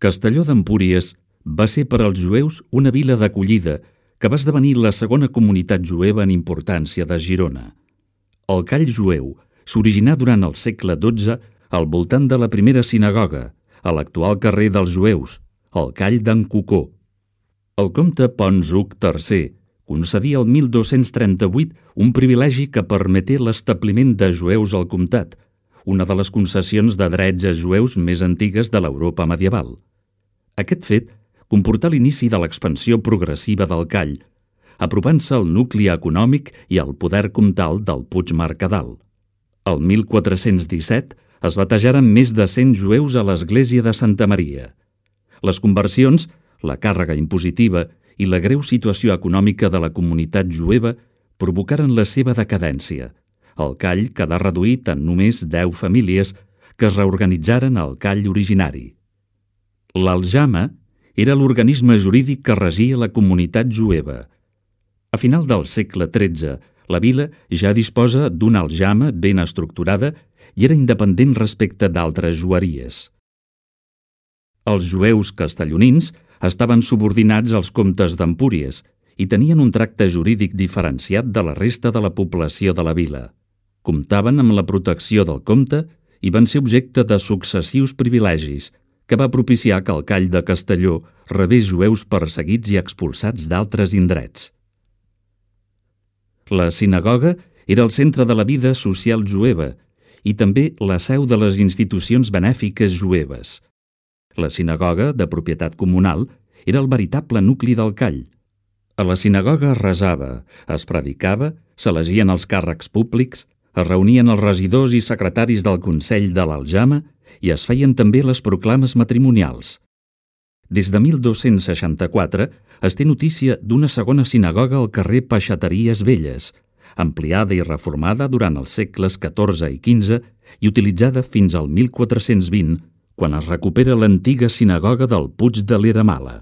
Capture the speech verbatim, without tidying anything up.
Castelló d'Empúries va ser per als jueus una vila d'acollida que va esdevenir la segona comunitat jueva en importància de Girona. El call jueu s'originà durant el segle dotze al voltant de la primera sinagoga, a l'actual carrer dels Jueus, el call d'en Cocó. El comte Pons Hug tercer concedia el mil dos-cents trenta-vuit un privilegi que permeté l'establiment de jueus al comtat, una de les concessions de drets a jueus més antigues de l'Europa medieval. Aquest fet comportà l'inici de l'expansió progressiva del call, apropant-se al nucli econòmic i al poder comtal del Puigmercadal. El mil quatre-cents disset es batejaren més de cent jueus a l'església de Santa Maria. Les conversions, la càrrega impositiva i la greu situació econòmica de la comunitat jueva provocaren la seva decadència. El call quedà reduït en només deu famílies que es reorganitzaren al call originari. L'aljama era l'organisme jurídic que regia la comunitat jueva. A final del segle tretze, la vila ja disposa d'una aljama ben estructurada i era independent respecte d'altres jueries. Els jueus castellonins estaven subordinats als comtes d'Empúries i tenien un tracte jurídic diferenciat de la resta de la població de la vila. Comptaven amb la protecció del comte i van ser objecte de successius privilegis, que va propiciar que el call de Castelló rebés jueus perseguits i expulsats d'altres indrets. La sinagoga era el centre de la vida social jueva i també la seu de les institucions benèfiques jueves. La sinagoga, de propietat comunal, era el veritable nucli del call. A la sinagoga es resava, es predicava, s'elegien els càrrecs públics, es reunien els regidors i secretaris del Consell de l'Aljama i es feien també les proclames matrimonials. Des de mil dos-cents seixanta-quatre es té notícia d'una segona sinagoga al carrer Peixateries Velles, ampliada i reformada durant els segles catorze i quinze i utilitzada fins al mil quatre-cents vint, quan es recupera l'antiga sinagoga del Puig de l'Era Mala.